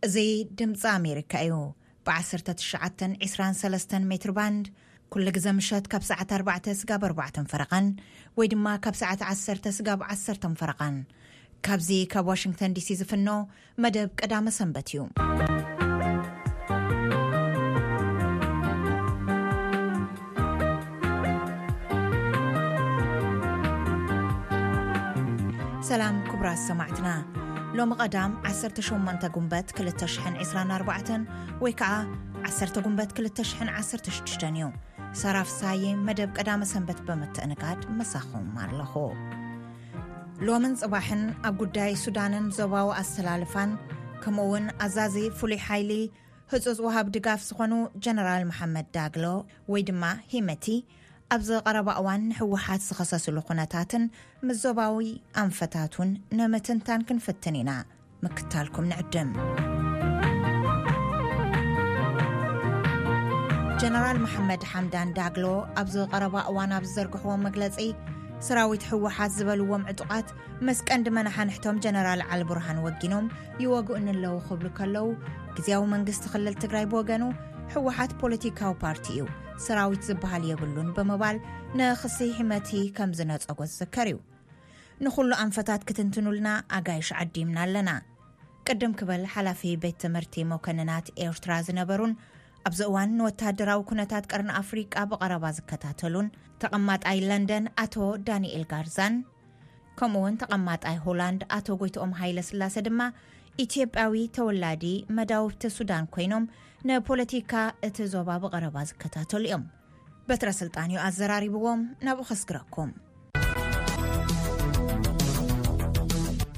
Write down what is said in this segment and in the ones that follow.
እዚ ድምፂ ኣሜሪካ እዩ። ብ1923 ሜትር ባንድ ኩሉ ግዜ ምሸት ካብ ሰዓት ኣርባዕተ ስጋብ ኣርባዕተን ፈረቓን ወይ ድማ ካብ ሰዓት ዓሰርተ ስጋብ ዓሰርተን ፈረቓን፣ ካብዚ ካብ ዋሽንግተን ዲሲ ዝፍኖ መደብ ቀዳመ ሰንበት እዩ። ሰላም ክቡራት ሰማዕትና፣ ሎሚ ቀዳም ዓሰርተ ሸሞንተ ጉንበት ክልተ ሽሕን ዕስራን ኣርባዕተን ወይ ከዓ ዓሰርተ ጉንበት ክልተ ሽሕን ዓሰርተ ሽዱሽተን እዩ። ሰራፍ ሳየ መደብ ቀዳመ ሰንበት ብምትእንጋድ መሳኹም ኣለኹ። ሎምን ጽባሕን ኣብ ጉዳይ ሱዳንን ዞባዊ ኣሰላልፋን ከምኡ እውን ኣዛዚ ፍሉይ ሓይሊ ህጹጽ ወሃብ ድጋፍ ዝኾኑ ጀነራል መሓመድ ዳግሎ ወይ ድማ ሂመቲ ኣብዚ ቀረባ እዋን ንህወሓት ዝኸሰስሉ ኩነታትን ምስ ዞባዊ ኣንፈታት እውን ንምትንታን ክንፍትን ኢና። ምክታልኩም ንዕድም። ጀነራል መሓመድ ሓምዳን ዳግሎ ኣብዚ ቀረባ እዋን ኣብ ዝዘርግሕዎ መግለጺ፣ ሰራዊት ህወሓት ዝበልዎም ዕጡቓት ምስ ቀንዲ መናሓንሕቶም ጀነራል ዓሊ ቡርሃን ወጊኖም ይወግኡኒ ኣለዉ ክብሉ ከለዉ፣ ግዝያዊ መንግስቲ ክልል ትግራይ ብወገኑ ህወሓት ፖለቲካዊ ፓርቲ እዩ፣ ሰራዊት ዝበሃል የብሉን ብምባል ንክሲ ሂመቲ ከም ዝነጸጎ ዝዝከር እዩ። ንኹሉ ኣንፈታት ክትንትኑልና ኣጋይሽ ዓዲምና ኣለና። ቅድም ክበል ሓላፊ ቤት ትምህርቲ መኮንናት ኤርትራ ዝነበሩን ኣብዚ እዋን ንወተሃደራዊ ኩነታት ቀርኒ ኣፍሪቃ ብቐረባ ዝከታተሉን ተቐማጣይ ለንደን ኣቶ ዳንኤል ጋርዛን ከምኡ እውን ተቐማጣይ ሆላንድ ኣቶ ጎይትኦም ሃይለ ስላሰ ድማ ኢትዮጵያዊ ተወላዲ መዳውብቲ ሱዳን ኮይኖም ንፖለቲካ እቲ ዞባ ብቐረባ ዝከታተሉ እዮም። በትረ ስልጣን እዩ ኣዘራሪብዎም። ናብኡ ከስግረኩም።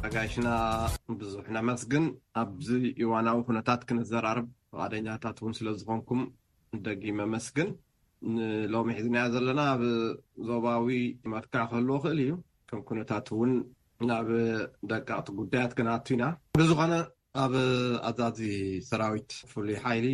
ኣጋይሽና ብዙሕ ነመስግን። ኣብዚ እዋናዊ ኩነታት ክንዘራርብ ፍቓደኛታት እውን ስለ ዝኾንኩም ደጊመ መስግን። ንሎሚ ሒዝናዮ ዘለና ኣብ ዞባዊ መልክዕ ክህልዎ ክእል እዩ። ከም ኩነታት እውን ናብ ደቀቕቲ ጉዳያት ክንኣቱ ኢና። ብዝኾነ ኣብ ኣዛዚ ሰራዊት ፍሉይ ሓይሊ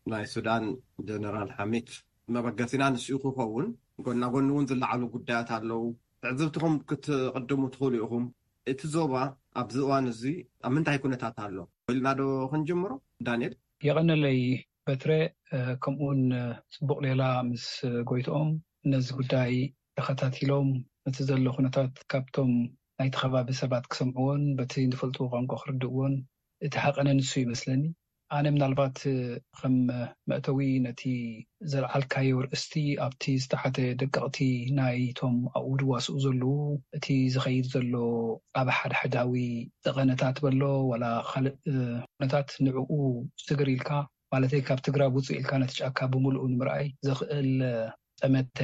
ናይ ሱዳን ጀነራል ሓሚድ መበገሲና ንስኡ ክኸውን፣ ጎና ጎኒ እውን ዝለዓሉ ጉዳያት ኣለዉ። ትዕዝብትኹም ክትቕድሙ ትኽእሉ ኢኹም። እቲ ዞባ ኣብዚ እዋን እዚ ኣብ ምንታይ ኩነታት ኣሎ? ኢልና ዶ ክንጅምሮ? ዳንኤል? የቐነለይ በትረ፣ እ፣ ከምኡውን፣ እ፣ ጽቡቕ ሌላ ምስ፣ እ፣ ጎይትኦም ነዚ ጉዳይ ተኸታቲሎም እቲ ዘሎ ኩነታት ካብቶም ናይቲ ከባቢ ሰባት ክሰምዕዎን በቲ ዝፈልጥዎ ቋንቋ ክርድእዎን እቲ ሓቐነ ንሱ ይመስለኒ። ኣነ ምናልባት፣ እ፣ ከም መእተዊ ነቲ ዘልዓልካዮ ርእስቲ ኣብቲ ዝተሓተ ደቀቕቲ ናይቶም ኣብኡ ድዋስኡ ዘለዉ እቲ ዝኸይድ ዘሎ ኣብ ሓድሓዳዊ ጠቐነታት በሎ ዋላ ካልእ፣ እ፣ ኩነታት ንዕኡ ስግር ኢልካ ማለተይ ካብ ትግራብ ውፅእ ኢልካ ነቲ ጫካ ብምልኡ ንምርኣይ ዘኽእል ጠመተ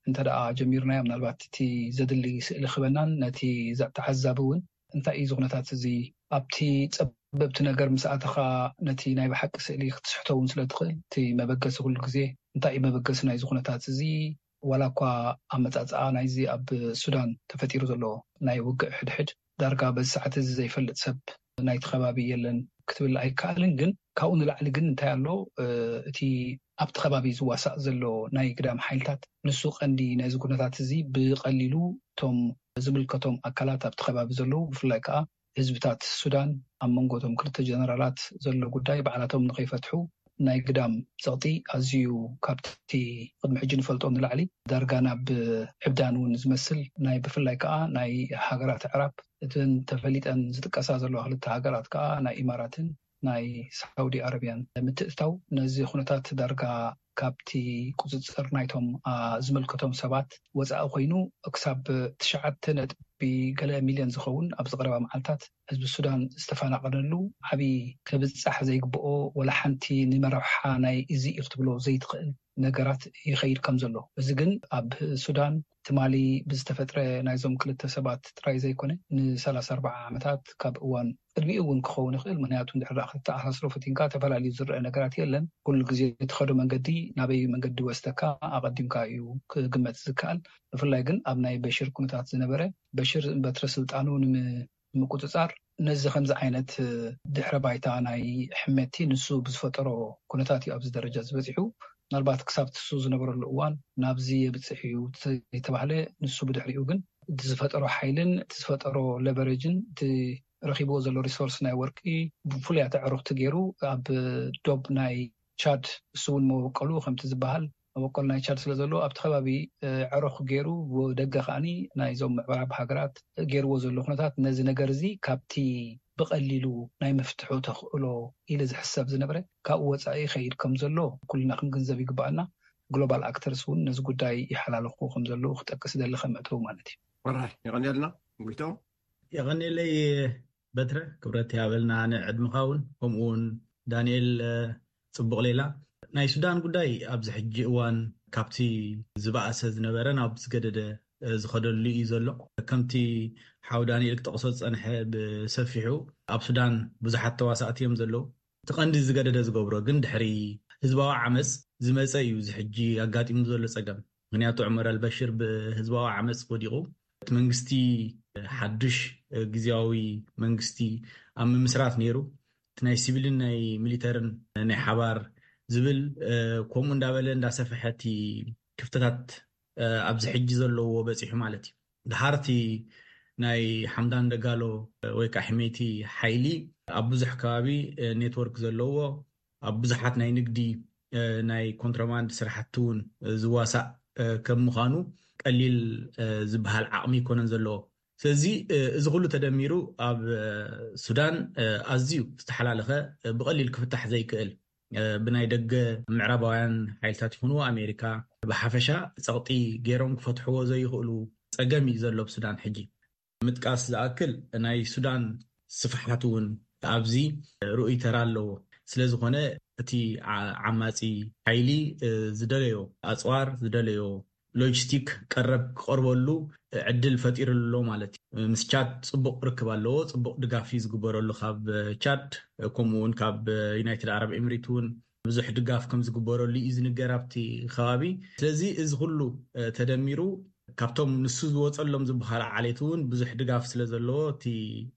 እንተ ደኣ ጀሚርናዮ ምናልባት እቲ ዘድሊ ስእሊ ክበናን ነቲ ተዓዛቢ እውን እንታይ እዩ እዚ ኩነታት እዚ ኣብቲ ጸበብቲ ነገር ምስ ኣተኻ ነቲ ናይ ብሓቂ ስእሊ ክትስሕቶ እውን ስለ ትኽእል እቲ መበገሲ ኩሉ ግዜ እንታይ እዩ መበገሲ ናይዚ ኩነታት እዚ ዋላ እኳ ኣመጻጽኣ ናይዚ ኣብ ሱዳን ተፈጢሩ ዘሎ ናይ ውግእ ሕድሕድ ዳርጋ በዚ ሰዓት እዚ ዘይፈልጥ ሰብ ናይቲ ከባቢ የለን ክትብል ኣይከኣልን። ግን ካብኡ ንላዕሊ ግን እንታይ ኣሎ፣ እ፣ እቲ ኣብቲ ከባቢ ዝዋሳእ ዘሎ ናይ ግዳም ሓይልታት ንሱ ቀንዲ ነዚ ኩነታት እዚ ብቐሊሉ እቶም ዝምልከቶም ኣካላት ኣብቲ ከባቢ ዘለዉ ብፍላይ ከዓ ህዝብታት ሱዳን ኣብ መንጎ እቶም ክልተ ጀነራላት ዘሎ ጉዳይ ባዕላቶም ንኸይፈትሑ ናይ ግዳም ጸቕጢ ኣዝዩ ካብቲ ቅድሚ ሕጂ ንፈልጦ ንላዕሊ ዳርጋ ናብ ዕብዳን እውን ዝመስል ናይ ብፍላይ ከዓ ናይ ሃገራት ኣዕራብ እተን ተፈሊጠን ዝጥቀሳ ዘለዋ ክልተ ሃገራት ከዓ ናይ ኢማራትን ናይ ሳውዲ ኣረብያን ምትእትታው ነዚ ኩነታት ዳርጋ ካብቲ ቁፅፅር ናይቶም፣ አ፣ ዝምልከቶም ሰባት ወፃኢ ኮይኑ ክሳብ ትሽዓተ ነጥቢ ገለ ሚልዮን ዝኸውን ኣብዚ ቀረባ መዓልታት ህዝቢ ሱዳን ዝተፈናቐለሉ ዓብዪ ክብፃሕ ዘይግብኦ ወላ ሓንቲ ንመረብሓ ናይ እዚ እዩ ክትብሎ ዘይትኽእል ነገራት ይኸይድ ከም ዘሎ። እዚ ግን ኣብ ሱዳን ትማሊ ብዝተፈጥረ ናይዞም ክልተ ሰባት ጥራይ ዘይኮነ ንሰላሳ ኣርባዓ ዓመታት ካብ እዋን ቅድሚኡ እውን ክኸውን ይኽእል። ምክንያቱ እንድሕር ደኣ ክትተኣሳስሮ ፈቲንካ ተፈላልዩ ዝረአ ነገራት የለን። ኩሉ ግዜ እትኸዶ መንገዲ ናበይ መንገዲ ወስደካ ኣቐዲምካ እዩ ክግመት ዝከኣል። ብፍላይ ግን ኣብ ናይ በሽር ኩነታት ዝነበረ በሽር በትረ ስልጣኑ ንምቁፅፃር ነዚ ከምዚ ዓይነት ድሕረ ባይታ ናይ ሕመቲ ንሱ ብዝፈጠሮ ኩነታት እዩ ኣብዚ ደረጃ ዝበፂሑ። ምናልባት ክሳብ ትሱ ዝነበረሉ እዋን ናብዚ የብፅሕ እዩ የተባህለ፣ ንሱ ብድሕሪኡ ግን እቲ ዝፈጠሮ ሓይልን እቲ ዝፈጠሮ ለቨሬጅን እቲ ረኪብዎ ዘሎ ሪሶርስ ናይ ወርቂ ብፍሉያት ኣዕሩኽቲ ገይሩ ኣብ ዶብ ናይ ቻድ፣ እሱ እውን መበቆሉ ከምቲ ዝበሃል መበቆል ናይ ቻድ ስለ ዘሎ ኣብቲ ከባቢ ዕሩኽ ገይሩ፣ ደገ ከዓኒ ናይዞም ምዕራብ ሃገራት ገይርዎ ዘሎ ኩነታት ነዚ ነገር እዚ ካብቲ ብቐሊሉ ናይ ምፍትሑ ተኽእሎ ኢሉ ዝሕሰብ ዝነበረ ካብኡ ወፃኢ ይኸይድ ከም ዘሎ ኩልና ክንግንዘብ ይግባኣና። ግሎባል ኣክተርስ እውን ነዚ ጉዳይ ይሓላለኹ ከም ዘለዉ ክጠቅስ ይደሊ ከም መእተዊ ማለት እዩ። ወራይ የቐንየልና። ጉይቶም የቐንየለይ በትረ፣ ክብረት ይሃበልና ንዕድምኻ እውን። ከምኡ እውን ዳንኤል፣ ፅቡቕ ሌላ። ናይ ሱዳን ጉዳይ ኣብዚ ሕጂ እዋን ካብቲ ዝበኣሰ ዝነበረ ናብ ዝገደደ ዝኸደሉ እዩ ዘሎ። ከምቲ ሓው ዳንኤል ክጠቕሶ ዝፀንሐ ብሰፊሑ ኣብ ሱዳን ብዙሓት ተዋሳእቲ እዮም ዘለዉ። እቲ ቀንዲ ዝገደደ ዝገብሮ ግን ድሕሪ ህዝባዊ ዓመፅ ዝመፀ እዩ እዚ ሕጂ ኣጋጢሙ ዘሎ ፀገም። ምክንያቱ ዑመር ኣልበሽር ብህዝባዊ ዓመፅ ወዲቑ እቲ መንግስቲ ሓዱሽ ግዝያዊ መንግስቲ ኣብ ምምስራት ነይሩ። እቲ ናይ ሲቪልን ናይ ሚሊተርን ናይ ሓባር ዝብል ከምኡ እንዳበለ እንዳሰፈሐ እቲ ክፍተታት ኣብዚ ሕጂ ዘለዎ በፂሑ ማለት እዩ። ድሓርቲ ናይ ሓምዳን ደጋሎ ወይ ከዓ ሕሜቲ ሓይሊ ኣብ ብዙሕ ከባቢ ኔትወርክ ዘለዎ ኣብ ብዙሓት ናይ ንግዲ ናይ ኮንትሮባንድ ስራሕቲ እውን ዝዋሳእ ከም ምዃኑ ቀሊል ዝበሃል ዓቕሚ ይኮነን ዘለዎ። ስለዚ እዚ ኩሉ ተደሚሩ ኣብ ሱዳን ኣዝዩ ዝተሓላለኸ ብቐሊል ክፍታሕ ዘይክእል ብናይ ደገ ምዕራባውያን ሓይልታት ይኹኑ ኣሜሪካ ብሓፈሻ ጸቕጢ ገይሮም ክፈትሕዎ ዘይኽእሉ ጸገም እዩ ዘሎ ኣብ ሱዳን ሕጂ። ምጥቃስ ዝኣክል ናይ ሱዳን ስፍሓት እውን ኣብዚ ርኡይ ተራ ኣለዎ። ስለዝኾነ እቲ ዓማፂ ሓይሊ ዝደለዮ ኣፅዋር ዝደለዮ ሎጂስቲክ ቀረብ ክቐርበሉ ዕድል ፈጢሩ ኣሎ ማለት እዩ። ምስ ቻድ ፅቡቕ ርክብ ኣለዎ፣ ፅቡቕ ድጋፍ እዩ ዝግበረሉ ካብ ቻድ፣ ከምኡ እውን ካብ ዩናይትድ ዓረብ ኤምሬት እውን ብዙሕ ድጋፍ ከም ዝግበረሉ እዩ ዝንገር ኣብቲ ከባቢ። ስለዚ እዚ ኩሉ ተደሚሩ ካብቶም ንሱ ዝወፀሎም ዝበሃል ዓሌት እውን ብዙሕ ድጋፍ ስለ ዘለዎ እቲ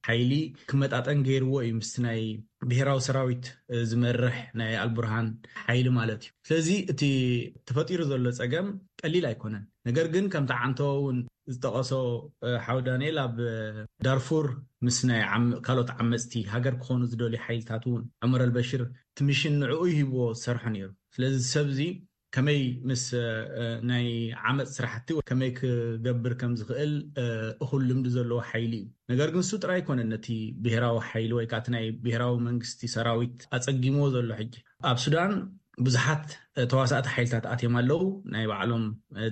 ሓይሊ ክመጣጠን ገይርዎ እዩ ምስቲ ናይ ብሄራዊ ሰራዊት ዝመርሕ ናይ ኣልቡርሃን ሓይሊ ማለት እዩ። ስለዚ እቲ ተፈጢሩ ዘሎ ፀገም ቀሊል ኣይኮነን። ነገር ግን ከምቲ ዓንተዎ እውን ዝጠቐሶ ሓው ዳንኤል ኣብ ዳርፉር ምስ ናይ ካልኦት ዓመፅቲ ሃገር ክኾኑ ዝደልዩ ሓይልታት እውን ዑመር ኣልበሽር እቲ ሚሽን ንዕኡ ሂብዎ ዝሰርሖ ነይሩ። ስለዚ ሰብ እዚ ከመይ ምስ ናይ ዓመፅ ስራሕቲ ከመይ ክገብር ከም ዝኽእል እኹል ልምዲ ዘለዎ ሓይሊ እዩ። ነገር ግን እሱ ጥራይ ኣይኮነን ነቲ ብሄራዊ ሓይሊ ወይ ከዓ እቲ ናይ ብሄራዊ መንግስቲ ሰራዊት ኣፀጊምዎ ዘሎ። ሕጂ ኣብ ሱዳን ብዙሓት ተዋሳእቲ ሓይልታት ኣትዮም ኣለዉ፣ ናይ ባዕሎም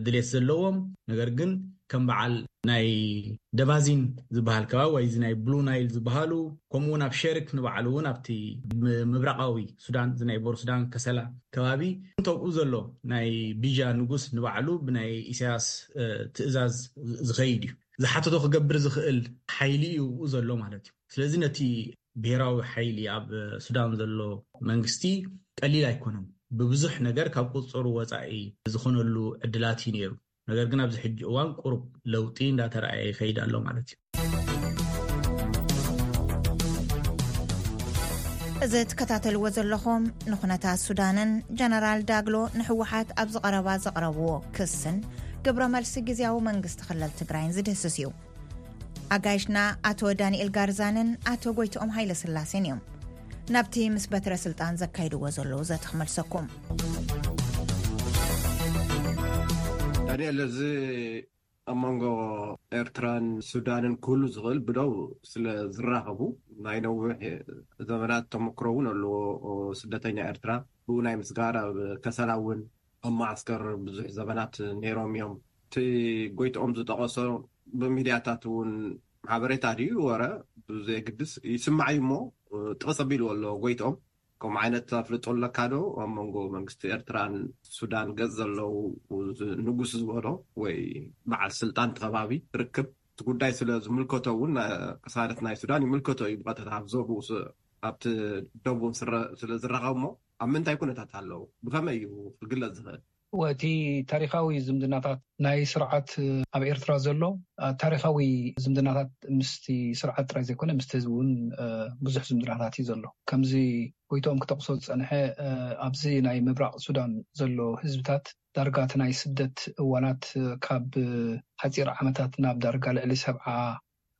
ድሌት ዘለዎም። ነገር ግን ከም በዓል ናይ ደባዚን ዝበሃል ከባቢ ወይ እዚ ናይ ብሉ ናይል ዝበሃሉ፣ ከምኡ እውን ኣብ ሸርክ ንባዕሉ እውን ኣብቲ ምብራቃዊ ሱዳን ዝናይ ቦር ሱዳን ከሰላ ከባቢ እንተብኡ ዘሎ ናይ ቢጃ ንጉስ ንባዕሉ ብናይ ኢሳያስ ትእዛዝ ዝኸይድ እዩ። ዝሓተቶ ክገብር ዝኽእል ሓይሊ እዩ ብኡ ዘሎ ማለት እዩ። ስለዚ ነቲ ብሄራዊ ሓይሊ ኣብ ሱዳን ዘሎ መንግስቲ ቀሊል ኣይኮነን። ብብዙሕ ነገር ካብ ቁፅሩ ወፃኢ ዝኾነሉ ዕድላት እዩ ነይሩ። ነገር ግን ኣብዚ ሕጂ እዋን ቁሩብ ለውጢ እንዳተረኣየ ይኸይድ ኣሎ ማለት እዩ። እዚ ትከታተልዎ ዘለኹም ንኩነታት ሱዳንን ጀነራል ዳግሎ ንህወሓት ኣብዚ ቀረባ ዘቕረብዎ ክስን ግብረ መልሲ ግዝያዊ መንግስቲ ክልል ትግራይን ዝድህስስ እዩ። ኣጋይሽና ኣቶ ዳንኤል ጋርዛንን ኣቶ ጎይትኦም ሃይለ ስላሴን እዮም። ናብቲ ምስ በትረ ስልጣን ዘካይድዎ ዘለዉ ዘተ ክመልሰኩም። ዳንኤል፣ እዚ ኣብ መንጎ ኤርትራን ሱዳንን ክህሉ ዝኽእል ብደው ስለ ዝራኸቡ ናይ ነዊሕ ዘመናት ተመክሮ እውን ኣለዎ። ስደተኛ ኤርትራ ብኡ ናይ ምስጋር ኣብ ከሰላ እውን ኣብ ማዓስከር ብዙሕ ዘመናት ነይሮም እዮም። እቲ ጎይትኦም ዝጠቐሶ ብሚድያታት እውን ሓበሬታ ድዩ ወረ ብዘየግድስ ይስማዕ እዩ እሞ ጥቕስ ኣቢልዎ ኣሎ ጎይትኦም። ከምኡ ዓይነት ኣፍልጦ ኣለካ ዶ ኣብ መንጎ መንግስቲ ኤርትራን ሱዳን ገጽ ዘለዉ ንጉስ ዝበሎ ወይ በዓል ስልጣን እቲ ከባቢ ርክብ? እቲ ጉዳይ ስለ ዝምልከቶ እውን ቅሳነት ናይ ሱዳን ይምልከቶ እዩ ብቐጥታ ኣብ ዞብኡ ኣብቲ ደቡብ ስለ ዝረኸብ እሞ ኣብ ምንታይ ኩነታት ኣለዉ? ብኸመይ እዩ ክግለጽ ዝኽእል? እቲ ታሪኻዊ ዝምድናታት ናይ ስርዓት ኣብ ኤርትራ ዘሎ ታሪኻዊ ዝምድናታት ምስቲ ስርዓት ጥራይ ዘይኮነ ምስቲ ህዝቢ እውን ብዙሕ ዝምድናታት እዩ ዘሎ። ከምዚ ጎይትኦም ክጠቕሶ ዝጸንሐ ኣብዚ ናይ ምብራቕ ሱዳን ዘሎ ህዝብታት ዳርጋ እቲ ናይ ስደት እዋናት ካብ ሓጺር ዓመታት ናብ ዳርጋ ልዕሊ ሰብዓ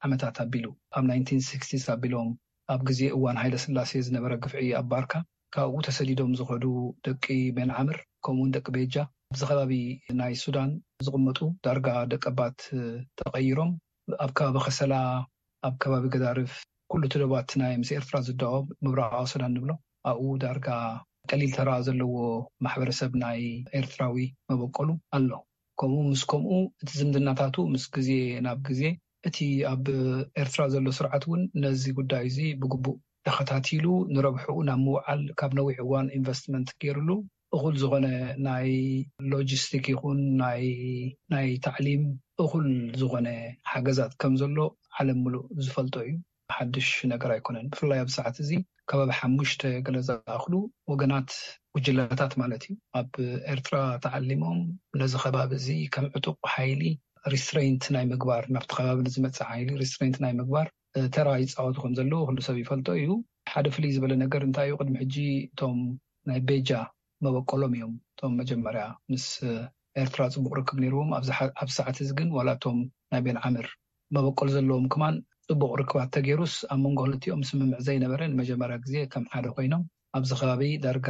ዓመታት ኣቢሉ ኣብ ናይንቲን ሲክስቲስ ኣቢሎም ኣብ ግዜ እዋን ሃይለ ስላሴ ዝነበረ ግፍዒ ኣብ ባርካ ካብኡ ተሰዲዶም ዝኸዱ ደቂ ቤንዓምር ከምኡውን ደቂ ቤጃ ኣብዚ ከባቢ ናይ ሱዳን ዝቕመጡ ዳርጋ ደቀባት ተቐይሮም ኣብ ከባቢ ከሰላ ኣብ ከባቢ ገዳርፍ ኩሉ ትደባት ናይ ምስ ኤርትራ ዝዳወብ ምብራቃዊ ሱዳን ንብሎ ኣብኡ ዳርጋ ቀሊል ተራ ዘለዎ ማሕበረሰብ ናይ ኤርትራዊ መበቆሉ ኣሎ። ከምኡ ምስ ከምኡ እቲ ዝምድናታቱ ምስ ግዜ ናብ ግዜ እቲ ኣብ ኤርትራ ዘሎ ስርዓት እውን ነዚ ጉዳይ እዚ ብግቡእ ተኸታቲሉ ንረብሕኡ ናብ ምውዓል ካብ ነዊሕ እዋን ኢንቨስትመንት ገይሩሉ እኹል ዝኾነ ናይ ሎጂስቲክ ይኹን ናይ ናይ ታዕሊም እኹል ዝኾነ ሓገዛት ከም ዘሎ ዓለም ምሉእ ዝፈልጦ እዩ። ሓድሽ ነገር ኣይኮነን። ብፍላይ ኣብ ሰዓት እዚ ከባቢ ሓሙሽተ ገለ ዝኣኽሉ ወገናት ጉጅለታት ማለት እዩ ኣብ ኤርትራ ተዓሊሞም ነዚ ከባቢ እዚ ከም ዕጡቕ ሓይሊ ሪስትሬንት ናይ ምግባር ናብቲ ከባቢ ንዝመፅእ ሓይሊ ሪስትሬንት ናይ ምግባር ተራ ይፃወቱ ከም ዘለዉ ኩሉ ሰብ ይፈልጦ እዩ። ሓደ ፍልይ ዝበለ ነገር እንታይ እዩ? ቅድሚ ሕጂ እቶም ናይ ቤጃ መበቆሎም እዮም እቶም መጀመርያ ምስ ኤርትራ ፅቡቅ ርክብ ነይርዎም። ኣብዚ ሰዓት እዚ ግን ዋላ እቶም ናይ ቤን ዓምር መበቆል ዘለዎም ክማን ፅቡቅ ርክባት ተገይሩስ ኣብ መንጎ ክልቲኦም ስምምዕ ዘይነበረ ንመጀመርያ ግዜ ከም ሓደ ኮይኖም ኣብዚ ከባቢ ዳርጋ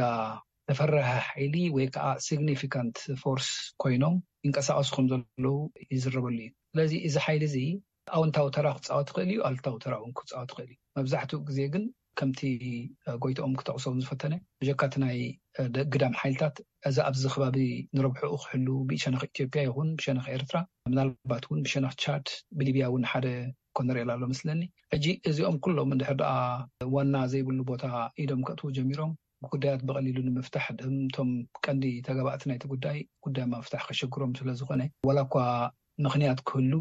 ተፈራሒ ሓይሊ ወይ ከዓ ሲግኒፊካንት ፎርስ ኮይኖም ይንቀሳቀሱ ከም ዘለዉ ይዝረበሉ እዩ። ስለዚ እዚ ሓይሊ እዚ ኣውንታዊ ተራ ክፃወት ይኽእል እዩ፣ ኣልታዊ ተራ እውን ክፃወት ይኽእል እዩ። መብዛሕትኡ ግዜ ግን ከምቲ ጎይትኦም ክጠቕሶም ዝፈተነ ብጀካ እቲ ናይ ግዳም ሓይልታት እዚ ኣብዚ ከባቢ ንረብሕኡ ክሕሉ ብሸነኽ ኢትዮጵያ ይኹን ብሸነኽ ኤርትራ ምናልባት እውን ብሸነኽ ቻድ ብሊብያ እውን ሓደ ኮነ ርኤላ ኣሎ መስለኒ። ሕጂ እዚኦም ኩሎም እንድሕር ደኣ ዋና ዘይብሉ ቦታ ኢዶም ከእትዉ ጀሚሮም ጉዳያት ብቐሊሉ ንምፍታሕ እቶም ቀንዲ ተገባእቲ ናይቲ ጉዳይ ጉዳይ ምፍታሕ ከሸግሮም ስለ ዝኾነ ዋላ እኳ ምኽንያት ክህሉ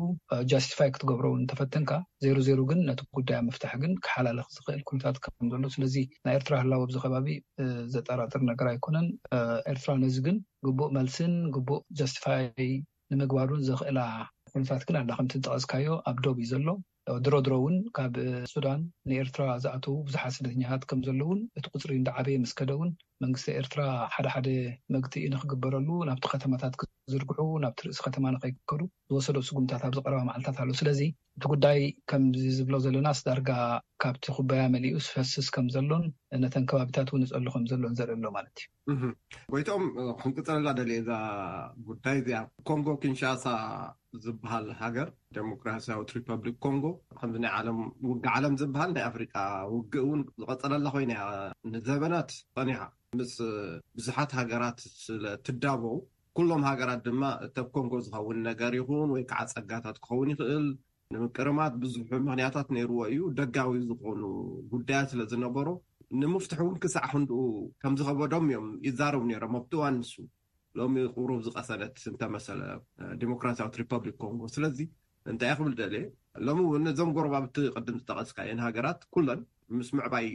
ጃስቲፋይ ክትገብሮ እውን ተፈተንካ ዜሩ ዜሩ ግን ነቲ ጉዳይ ምፍታሕ ግን ክሓላልኽ ዝኽእል ኩነታት ከም ዘሎ ስለዚ ናይ ኤርትራ ህላወ ኣብዚ ከባቢ ዘጠራጥር ነገር ኣይኮነን። ኤርትራ ነዚ ግን ግቡእ መልስን ግቡእ ጃስቲፋይ ንምግባሩን ዘኽእላ ኩነታት ግን ኣላ ከምቲ ዝጠቐስካዮ ኣብ ዶብ እዩ ዘሎ። ድሮ ድሮ እውን ካብ ሱዳን ንኤርትራ ዝኣተዉ ብዙሓት ስደተኛታት ከም ዘለውን እቲ ቁፅሪ እንዳዓበየ ምስ ከደ እውን መንግስቲ ኤርትራ ሓደ ሓደ መግትኢ ንክግበረሉ ናብቲ ከተማታት ክዝርግሑ ናብቲ ርእሲ ከተማ ንከይከዱ ዝወሰዶ ስጉምታት ኣብዚ ቀረባ መዓልታት ኣሎ። ስለዚ እቲ ጉዳይ ከምዚ ዝብሎ ዘለናስ ዳርጋ ካብቲ ኩባያ መሊኡ ዝፈስስ ከም ዘሎን ነተን ከባቢታት እውን ይፀሉ ከም ዘሎን ዘርኢ ኣሎ ማለት እዩ። ጎይቶም ክንቅፅለላ ደልየ እዛ ጉዳይ እዚኣ ኮንጎ ኪንሻሳ ዝበሃል ሃገር ዴሞክራሲያዊት ሪፐብሊክ ኮንጎ ከምዚ ናይ ዓለም ውግእ ዓለም ዝበሃል ናይ ኣፍሪቃ ውግእ እውን ዝቐፀለላ ኮይና እያ ንዘበናት ፀኒሓ ምስ ብዙሓት ሃገራት ስለ ትዳበው ኩሎም ሃገራት ድማ እተብ ኮንጎ ዝኸውን ነገር ይኹን ወይ ከዓ ፀጋታት ክኸውን ይኽእል ንምቅርማት ብዙሕ ምክንያታት ነይርዎ እዩ። ደጋዊ ዝኾኑ ጉዳያት ስለ ዝነበሮ ንምፍትሕ እውን ክሳዕ ክንድኡ ከም ዝኸበዶም እዮም ይዛረቡ ነይሮም ኣብቲ እዋን ንሱ። ሎሚ ቁሩብ ዝቐሰነት እንተመሰለ ዲሞክራሲያዊት ሪፐብሊክ ኮንጎ። ስለዚ እንታይ ክብል ደልየ ሎሚ እውን እዞም ጎረባብቲ ቅድም ዝጠቐስካየን ሃገራት ኩለን ምስ ምዕባይ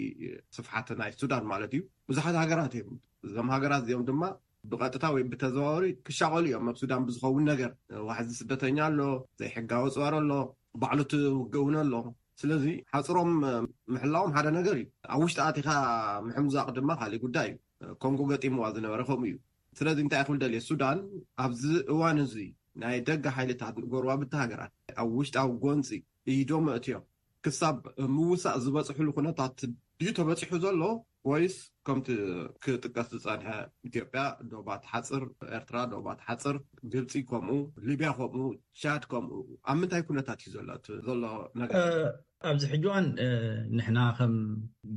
ስፍሓት ናይ ሱዳን ማለት እዩ ብዙሓት ሃገራት እዮም። እዞም ሃገራት እዚኦም ድማ ብቐጥታ ወይ ብተዘዋወሪ ክሻቐሉ እዮም ኣብ ሱዳን ብዝኸውን ነገር። ዋሕዚ ስደተኛ ኣሎ፣ ዘይሕጋዊ ፅወር ኣሎ፣ ባዕሉ እቲ ውግእ እውን ኣሎ። ስለዚ ሓፅሮም ምሕላዎም ሓደ ነገር እዩ። ኣብ ውሽጢ ኣቲኻ ምሕምዛቕ ድማ ካሊእ ጉዳይ እዩ። ኮንጎ ገጢምዋ ዝነበረ ከምኡ እዩ። ስለዚ እንታይ ክብል ደልየ ሱዳን ኣብዚ እዋን እዚ ናይ ደገ ሓይልታት ጎረባብቲ ሃገራት ኣብ ውሽጣዊ ጎንፂ ኢዶም ኣእትዮም ክሳብ ምውሳእ ዝበፅሕሉ ኩነታት ድዩ ተበፂሑ ዘሎ ወይስ ከምቲ ክጥቀስ ዝፀንሐ ኢትዮጵያ ዶባት ሓፅር፣ ኤርትራ ዶባት ሓፅር፣ ግብፂ ከምኡ፣ ሊብያ ከምኡ፣ ቻድ ከምኡ ኣብ ምንታይ ኩነታት እዩ ዘሎ እቲ ዘሎ ነገር? ኣብዚ ሕጂ እዋን ንሕና ከም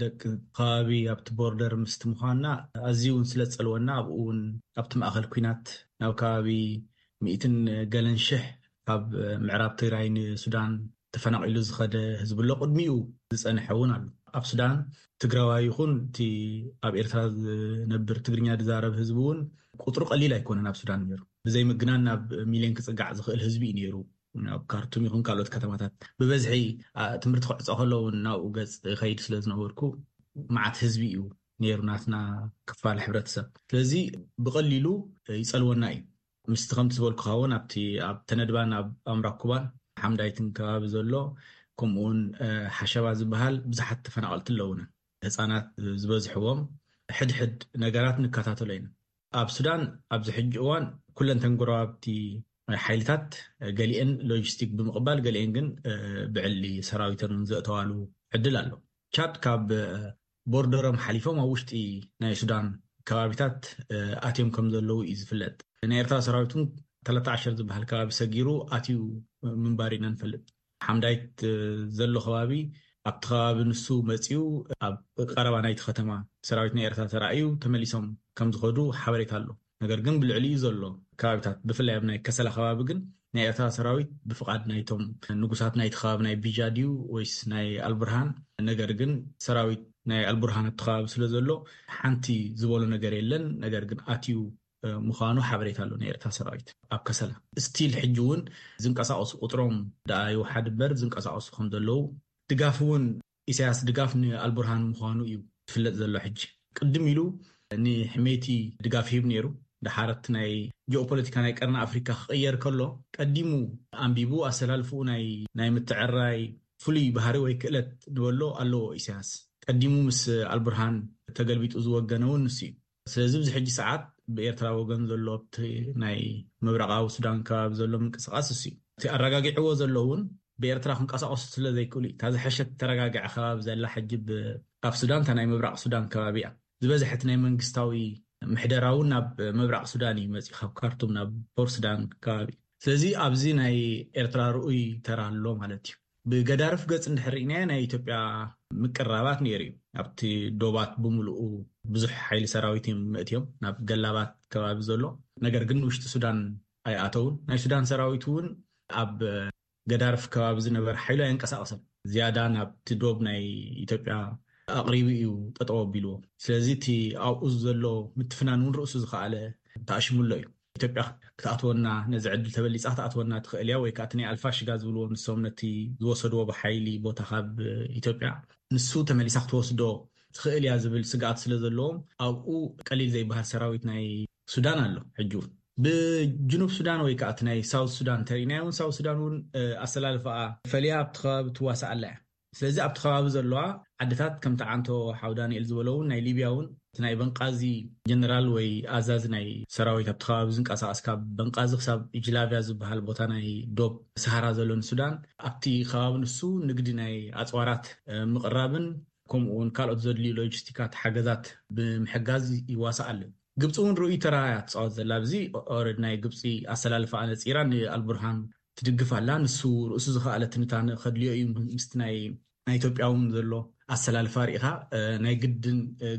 ደቂ ከባቢ ኣብቲ ቦርደር ምስቲ ምዃንና ኣዝዩ እውን ስለ ዝፀልወና ኣብኡ እውን ኣብቲ ማእኸል ኩናት ናብ ከባቢ ሚእትን ገለን ሽሕ ካብ ምዕራብ ትግራይ ንሱዳን ተፈናቒሉ ዝኸደ ህዝቢ ኣሎ። ቅድሚኡ ዝፀንሐ እውን ኣሎ። ኣብ ሱዳን ትግራዋይ ይኹን እቲ ኣብ ኤርትራ ዝነብር ትግርኛ ዝዛረብ ህዝቢ እውን ቁፅሩ ቀሊል ኣይኮነን ኣብ ሱዳን ነይሩ። ብዘይ ምግናን ናብ ሚልዮን ክፅጋዕ ዝኽእል ህዝቢ እዩ ነይሩ። ኣብ ካርቱም ይኹን ካልኦት ከተማታት ብበዝሒ ትምህርቲ ክዕፆ ከሎ እውን ናብኡ ገፅ ከይድ ስለ ዝነበርኩ መዓት ህዝቢ እዩ ነይሩ ናትና ክፋል ሕብረተሰብ። ስለዚ ብቐሊሉ ይጸልወና እዩ። ምስቲ ከምቲ ዝበልኩኻ እውን ኣብቲ ኣብ ተነድባን ኣብ ኣምራኩባን ሓምዳይትን ከባቢ ዘሎ ከምኡውን ሓሸባ ዝበሃል ብዙሓት ተፈናቐልቲ ኣለውና። ህፃናት ዝበዝሕዎም ሕድሕድ ነገራት ንከታተሎ ኢና። ኣብ ሱዳን ኣብዚ ሕጂ እዋን ኩለን ተንጎረባብቲ ሓይልታት ገሊአን ሎጂስቲክ ብምቕባል ገሊአን ግን ብዕሊ ሰራዊተን እውን ዘእተዋሉ ዕድል ኣሎ። ቻድ ካብ ቦርደሮም ሓሊፎም ኣብ ውሽጢ ናይ ሱዳን ከባቢታት ኣትዮም ከም ዘለዉ እዩ ዝፍለጥ። ናይ ኤርትራ ሰራዊት እውን ተለተ ዓሸር ዝበሃል ከባቢ ሰጊሩ ኣትዩ ምንባር ኢና ንፈልጥ። ሓምዳይት ዘሎ ከባቢ ኣብቲ ከባቢ ንሱ መፂኡ ኣብ ቀረባ ናይቲ ከተማ ሰራዊት ናይ ኤርትራ ተራእዩ ተመሊሶም ከም ዝኸዱ ሓበሬታ ኣሎ። ነገር ግን ብልዕሊኡ ዘሎ ከባቢታት ብፍላይ ኣብ ናይ ከሰላ ከባቢ ግን ናይ ኤርትራ ሰራዊት ብፍቓድ ናይቶም ንጉሳት ናይቲ ከባቢ ናይ ቢጃ ድዩ ወይስ ናይ ኣልቡርሃን? ነገር ግን ሰራዊት ናይ ኣልቡርሃን ኣብቲ ከባቢ ስለ ዘሎ ሓንቲ ዝበሎ ነገር የለን። ነገር ግን ኣትዩ ምዃኑ ሓበሬታ ኣሎ ናይ ኤርትራ ሰራዊት ኣብ ከሰላ። ስቲል ሕጂ እውን ዝንቀሳቐሱ ቁፅሮም ደኣ ይውሓድ እምበር ዝንቀሳቐሱ ከም ዘለዉ ድጋፍ እውን ኢሳያስ ድጋፍ ንኣልቡርሃን ምዃኑ እዩ ዝፍለጥ ዘሎ። ሕጂ ቅድም ኢሉ ንሕሜቲ ድጋፍ ሂብ ነይሩ። ድሓር እቲ ናይ ጂኦፖለቲካ ናይ ቀርኒ ኣፍሪካ ክቕየር ከሎ ቀዲሙ ኣንቢቡ ኣሰላልፍኡ ናይ ናይ ምትዕራይ ፍሉይ ባህሪ ወይ ክእለት ንበሎ ኣለዎ ኢሳያስ። ቀዲሙ ምስ ኣልቡርሃን ተገልቢጡ ዝወገነ እውን ንሱ እዩ። ስለዚ ኣብዚ ሕጂ ሰዓት ብኤርትራ ወገን ዘሎ ኣብቲ ናይ ምብራቓዊ ሱዳን ከባቢ ዘሎ ምንቅስቃስ እሱ እዩ። እቲ ኣረጋጊዕዎ ዘሎ እውን ብኤርትራ ክንቀሳቀሱ ስለ ዘይክእሉ እዩ። እታ ዝሐሸት ተረጋግዐ ከባቢ ዘላ ሕጂ ብ- ኣብ ሱዳን እታ ናይ ምብራቕ ሱዳን ከባቢ እያ። ዝበዝሐ እቲ ናይ መንግስታዊ ምሕደራ እውን ናብ ምብራቕ ሱዳን እዩ መፂኡ፣ ካብ ካርቱም ናብ ፖር ሱዳን ከባቢ። ስለዚ ኣብዚ ናይ ኤርትራ ርኡይ ተራ ኣሎ ማለት እዩ። ብገዳርፍ ገጽ እንድሕር ርኢናዮ ናይ ኢትዮጵያ ምቅራባት ነይሩ እዩ። ኣብቲ ዶባት ብምሉኡ ብዙሕ ሓይሊ ሰራዊት እዮም መእትዮም ናብ ገላባት ከባቢ ዘሎ። ነገር ግን ውሽጢ ሱዳን ኣይኣተውን። ናይ ሱዳን ሰራዊት እውን ኣብ ገዳርፍ ከባቢ ዝነበረ ሓይሉ ኣየንቀሳቐሰን። ዝያዳ ናብቲ ዶብ ናይ ኢትዮጵያ ኣቕሪቡ እዩ ጠጠው ኣቢልዎ። ስለዚ እቲ ኣብኡ ዘሎ ምትፍናን እውን ርእሱ ዝኸኣለ ተኣሽሙሎ እዩ። ኢትዮጵያ ክትኣትወና፣ ነዚ ዕድል ተበሊፃ ክትኣትወና ትኽእል እያ፣ ወይ ከዓ እቲ ናይ ኣልፋሽጋ ዝብልዎ ንሶም ነቲ ዝወሰድዎ ብሓይሊ ቦታ ካብ ኢትዮጵያ ንሱ ተመሊሳ ክትወስዶ ትኽእል እያ ዝብል ስግኣት ስለ ዘለዎም ኣብኡ ቀሊል ዘይበሃል ሰራዊት ናይ ሱዳን ኣሎ። ሕጂ እውን ብጅኑብ ሱዳን ወይ ከዓ እቲ ናይ ሳውት ሱዳን ተሪእናዮ እውን ሳውት ሱዳን እውን ኣሰላልፋኣ ፈልያ ኣብቲ ከባቢ ትዋሳእ ኣላ እያ። ስለዚ ኣብቲ ከባቢ ዘለዋ ዓድታት ከምቲ ዓንቶ ሓው ዳንኤል ዝበሎ እውን ናይ ሊብያ እውን እቲ ናይ በንቃዚ ጀነራል ወይ ኣዛዚ ናይ ሰራዊት ኣብቲ ከባቢ ዝንቀሳቀስ ካብ በንቃዚ ክሳብ ጅላቪያ ዝበሃል ቦታ ናይ ዶብ ሰሃራ ዘሎ ንሱዳን ኣብቲ ከባቢ ንሱ ንግዲ ናይ ኣፅዋራት ምቅራብን ከምኡ እውን ካልኦት ዘድልዩ ሎጂስቲካት ሓገዛት ብምሕጋዝ ይዋሳእ ኣሎ። ግብፂ እውን ርኡይ ተራ እያ ትፃወት ዘላ ኣብዚ ኦረድ ናይ ግብፂ ኣሰላልፋ ኣነፂራ ንኣልቡርሃን ትድግፍ ኣላ። ንሱ ርእሱ ዝኸኣለ ትንታነ ከድልዮ እዩ። ምስቲ ናይ ናይ ኢትዮጵያ እውን ዘሎ ኣሰላልፋ ርኢኻ ናይ ግድን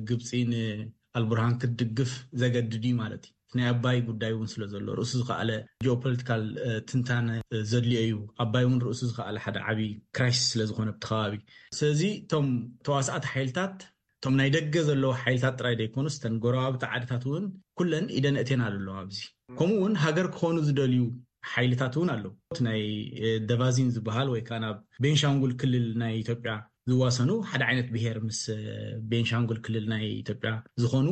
ግብፂ ንኣልቡርሃን ክትድግፍ ዘገድድ እዩ ማለት እዩ። ናይ ኣባይ ጉዳይ እውን ስለ ዘሎ ርእሱ ዝኸኣለ ጂኦፖለቲካል ትንታነ ዘድልዮ እዩ። ኣባይ እውን ርእሱ ዝኸኣለ ሓደ ዓብዪ ክራይሲስ ስለ ዝኾነ ብቲ ከባቢ። ስለዚ እቶም ተዋሳእቲ ሓይልታት እቶም ናይ ደገ ዘለዉ ሓይልታት ጥራይ ዘይኮኑስ እተን ጎረባብቲ ዓድታት እውን ኩለን ኢደን እቴን ኣለዋ ኣብዚ። ከምኡ እውን ሃገር ክኾኑ ዝደልዩ ሓይልታት እውን ኣለዉ። እቲ ናይ ደቫዚን ዝበሃል ወይ ከዓ ናብ ቤንሻንጉል ክልል ናይ ኢትዮጵያ ዝዋሰኑ ሓደ ዓይነት ብሄር ምስ ቤንሻንጉል ክልል ናይ ኢትዮጵያ ዝኾኑ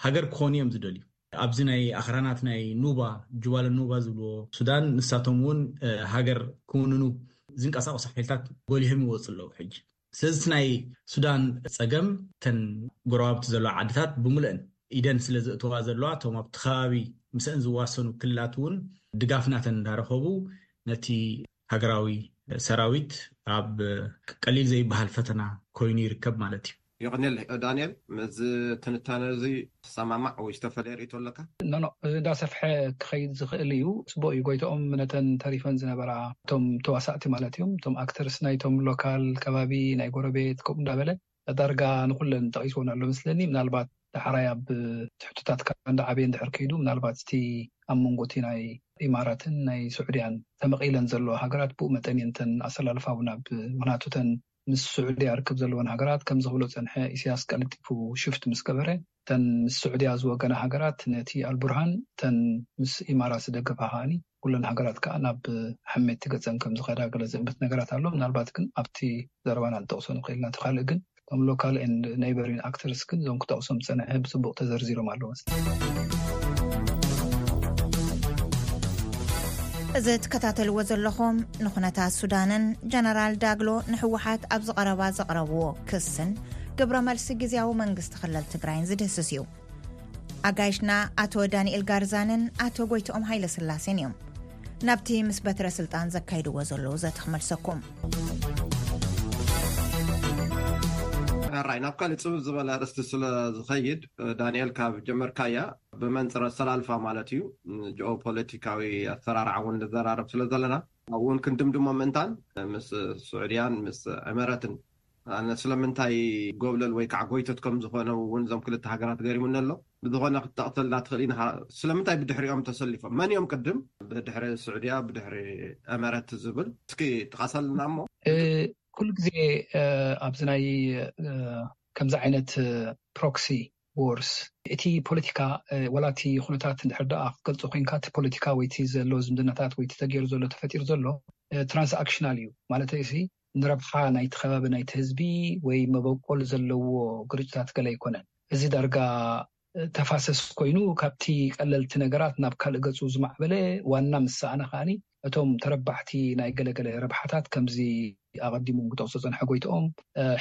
ሃገር ክኾኑ እዮም ዝደልዩ። ኣብዚ ናይ ኣኽራናት ናይ ኑባ ጁባለ ኑባ ዝብልዎ ሱዳን ንሳቶም እውን ሃገር ክውንኑ ዝንቀሳቀሱ ሓይልታት ጎሊሆም ይወፁ ኣለዉ ሕጂ። ስለዚ ናይ ሱዳን ፀገም ተን ጎረባብቲ ዘለዋ ዓድታት ብምልአን ኢደን ስለ ዘእተዋ ዘለዋ እቶም ኣብቲ ከባቢ ምስአን ዝዋሰኑ ክልላት እውን ድጋፍ ናተን እንዳረኸቡ ነቲ ሃገራዊ ሰራዊት ኣብ ቀሊል ዘይበሃል ፈተና ኮይኑ ይርከብ ማለት እዩ። ይቕንል። ዳንኤል፣ እዚ ትንታነ እዚ ትሰማማዕ ወይ ዝተፈለየ ርእቶ ኣለካ? ኖኖ እንዳሰፍሐ ክኸይድ ዝኽእል እዩ። ፅቡቅ እዩ። ጎይተኦም ነተን ተሪፈን ዝነበራ እቶም ተዋሳእቲ ማለት እዮም፣ እቶም ኣክተርስ ናይቶም ሎካል ከባቢ ናይ ጎረቤት ከምኡ እንዳበለ ዳርጋ ንኩለን ጠቂስዎን ኣሎ መስለኒ። ምናልባት ዳሕራይ ኣብ ትሕቶታትካ እንዳዓበየ እንድሕር ከይዱ ምናልባት እቲ ኣብ መንጎ እቲ ናይ ኢማራትን ናይ ስዑድያን ተመቒለን ዘለዋ ሃገራት ብኡ መጠን እየን እተን ኣሰላልፋ እውን ኣብ ምክንያቱ እተን ምስ ስዑድያ ርክብ ዘለወን ሃገራት ከም ዝኽብሎ ዝጸንሐ ኢሳያስ ቀልጢፉ ሽፍት ምስ ገበረ እተን ምስ ስዑድያ ዝወገና ሃገራት ነቲ ኣልቡርሃን እተን ምስ ኢማራት ዝደገፋ ከዓኒ ኩለን ሃገራት ከዓ ናብ ሕሜቲ ገጸን ከም ዝኸዳ ገለ ዝእምት ነገራት ኣሎ። ምናልባት ግን ኣብቲ ዘረባና ንጠቕሶ ንኽእል ኢና። እቲ ካልእ ግን እቶም local and neighboring actors ግን እዞም ክጠቕሶም ዝጸንሐ ብጽቡቕ ተዘርዚሮም ኣለዉ። እዚ ትከታተልዎ ዘለኹም ንኩነታት ሱዳንን ጀነራል ዳግሎ ንህወሓት ኣብ ዝቐረባ ዘቕረብዎ ክስን ግብረ መልሲ ግዝያዊ መንግስቲ ክልል ትግራይን ዝድህስስ እዩ። ኣጋይሽና ኣቶ ዳንኤል ጋርዛንን ኣቶ ጎይትኦም ሃይለ ስላሴን እዮም። ናብቲ ምስ በትረ ስልጣን ዘካይድዎ ዘለዉ ዘተ ክመልሰኩም። ሕራይ ናብ ካልእ ጽብብ ዝበለ ኣርእስቲ ስለ ዝኸይድ፣ ዳንኤል፣ ካብ ጀመርካያ ብመንጽር ኣሰላልፋ ማለት እዩ፣ ጂኦፖለቲካዊ ኣሰራርዓ እውን ንዘራረብ ስለ ዘለና፣ ኣብኡ እውን ክንድምድሞ ምእንታን ምስ ስዑድያን ምስ ዕመረትን ኣነ ስለምንታይ ጎብለል ወይ ከዓ ጎይቶት ከም ዝኾነ እውን እዞም ክልተ ሃገራት ገሪሙኒ ኣሎ። ብዝኾነ ክትጠቕሰልና ትኽእል ኢና። ስለምንታይ ብድሕሪኦም ተሰሊፎም? መን እዮም ቅድም ብድሕሪ ስዑድያ ብድሕሪ ዕመረት ዝብል እስኪ ጥቓሰልና እሞ። ኩሉ ግዜ ኣብዚ ናይ ከምዚ ዓይነት proxy wars እቲ ፖለቲካ ዋላ እቲ ኩነታት እንድሕር ደኣ ክትገልጾ ኮይንካ እቲ ፖለቲካ ወይ እቲ ዘሎ ዝምድናታት ወይ እቲ ተገይሩ ዘሎ ተፈጢሩ ዘሎ transactional እዩ ማለት እዚ ንረብሓ ናይቲ ከባቢ ናይቲ ህዝቢ ወይ መበቆል ዘለዎ ግርጭታት ገለ ኣይኮነን። እዚ ዳርጋ ተፋሰስ ኮይኑ ካብቲ ቀለልቲ ነገራት ናብ ካልእ ገጹ ዝማዕበለ ዋና ምስ ሰኣነ ከዓኒ እቶም ተረባሕቲ ናይ ገለገለ ረብሓታት ከምዚ ኣቐዲሞም ክጠቕሶ ዝጸንሐ ጎይትኦም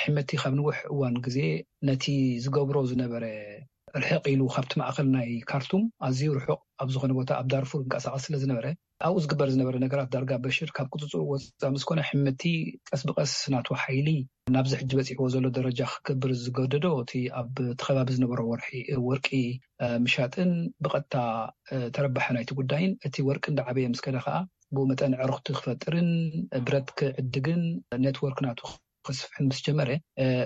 ሕመቲ ካብ ንውሕ እዋን ግዜ ነቲ ዝገብሮ ዝነበረ ርሕቕ ኢሉ ካብቲ ማእኸል ናይ ካርቱም ኣዝዩ ርሑቕ ኣብ ዝኾነ ቦታ ኣብ ዳርፉር ይንቀሳቐስ ስለ ዝነበረ ኣብኡ ዝግበር ዝነበረ ነገራት ዳርጋ በሽር ካብ ቁፅፅሩ ወፃእ ምስ ኮነ ሕምቲ ቀስ ብቀስ ናቱ ሓይሊ ናብዚ ሕጂ በፂሕዎ ዘሎ ደረጃ ክገብር ዝገደዶ እቲ ኣብቲ ከባቢ ዝነበሮ ወርቂ ምሻጥን ብቐጥታ ተረባሒ ናይቲ ጉዳይን እቲ ወርቂ እንዳዓበየ ምስ ከደ ከዓ ብኡ መጠን ዕርኽቲ ክፈጥርን ብረት ክዕድግን ኔትወርክ ናቱ ክስፍሕን ምስ ጀመረ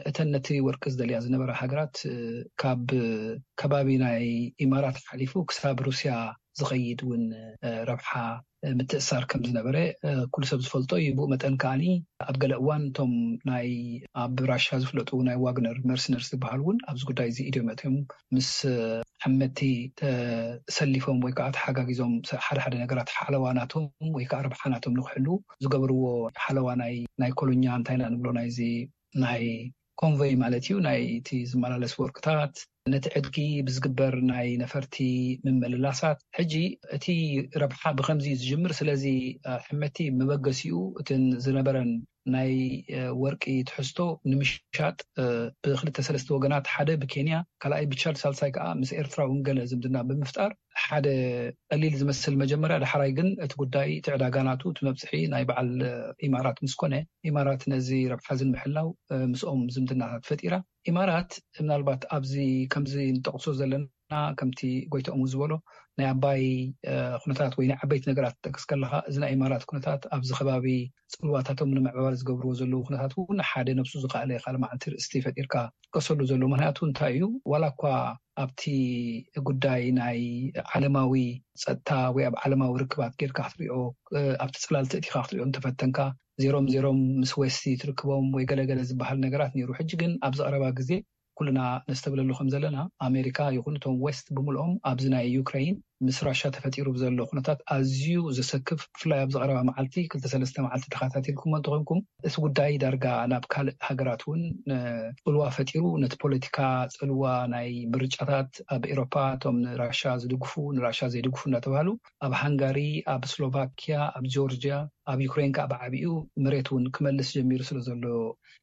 እተን ነቲ ወርቂ ዝደልያ ዝነበራ ሃገራት ካብ ከባቢ ናይ ኢማራት ሓሊፉ ክሳብ ሩስያ ዝኸይድ እውን ረብሓ ምትእሳር ከም ዝነበረ ኩሉ ሰብ ዝፈልጦ እዩ። ብኡ መጠን ከዓኒ ኣብ ገለ እዋን እቶም ናይ ኣብ ራሻ ዝፍለጡ ናይ ዋግነር መርሲነርስ ዝበሃሉ እውን ኣብዚ ጉዳይ እዚ ኢድዮም ኣትዮም ምስ ሓመቲ ተሰሊፎም ወይ ከዓ ተሓጋጊዞም ሓደ ሓደ ነገራት ሓለዋ ናቶም ወይ ከዓ ረብሓ ናቶም ንክሕሉ ዝገብርዎ ሓለዋ ናይ ናይ ኮሎኛ እንታይ ኢና ንብሎ ናይዚ ናይ ኮንቮይ ማለት እዩ ናይ እቲ ዝመላለስ ወርቅታት ነቲ ዕድጊ ብዝግበር ናይ ነፈርቲ ምምልላሳት ሕጂ እቲ ረብሓ ብከምዚ እዩ ዝጅምር ስለዚ ሕመቲ መበገሲኡ እትን ዝነበረን ናይ ወርቂ ትሕዝቶ ንምሻጥ ብክልተ ሰለስተ ወገናት ሓደ ብኬንያ ካልኣይ ብቻድ ሳልሳይ ከዓ ምስ ኤርትራ እውን ገለ ዝምድና ብምፍጣር ሓደ ቀሊል ዝመስል መጀመርያ ዳሕራይ ግን እቲ ጉዳይ እቲ ዕዳጋ ናቱ እቲ መብፅሒ ናይ በዓል ኢማራት ምስ ኮነ ኢማራት ነዚ ረብሓ እዚ ንምሕላው ምስኦም ዝምድናታት ፈጢራ ኢማራት ምናልባት ኣብዚ ከምዚ ንጠቕሶ ዘለና ከምቲ ጎይትኦም ዝበሎ ናይ ኣባይ ኩነታት ወይ ናይ ዓበይቲ ነገራት ትጠቅስ ከለካ እዚ ናይ ኢማራት ኩነታት ኣብዚ ከባቢ ፅልዋታቶም ንምዕባል ዝገብርዎ ዘለዉ ኩነታት እውን ሓደ ነብሱ ዝካኣለ ካልእ መዓልቲ ርእስቲ ፈጢርካ ትጥቀሰሉ ዘሎ ምክንያቱ እንታይ እዩ ዋላ እኳ ኣብቲ ጉዳይ ናይ ዓለማዊ ፀጥታ ወይ ኣብ ዓለማዊ ርክባት ጌርካ ክትሪኦ ኣብቲ ፅላል ተእቲካ ክትሪኦ እንተፈተንካ ዜሮም ዜሮም ምስ ዌስቲ ትርክቦም ወይ ገለገለ ዝበሃል ነገራት ነይሩ ሕጂ ግን ኣብዚ ቀረባ ግዜ ኩልና ነስተብለሉ ከም ዘለና ኣሜሪካ ይኹን እቶም ዌስት ብምልኦም ኣብዚ ናይ ዩክሬን ምስ ራሻ ተፈጢሩ ብዘሎ ኩነታት ኣዝዩ ዘሰክፍ ብፍላይ ኣብዚ ቀረባ መዓልቲ ክልተ ሰለስተ መዓልቲ ተኸታቲልኩሞ እንተኾንኩም እቲ ጉዳይ ዳርጋ ናብ ካልእ ሃገራት እውን ፅልዋ ፈጢሩ ነቲ ፖለቲካ ፅልዋ ናይ ምርጫታት ኣብ ኤሮፓ እቶም ንራሻ ዝድግፉ ንራሻ ዘይድግፉ እናተባሃሉ ኣብ ሃንጋሪ ኣብ ስሎቫኪያ ኣብ ጆርጂያ ኣብ ዩክሬን ከዓ ብዓብኡ መሬት እውን ክመልስ ጀሚሩ ስለ ዘሎ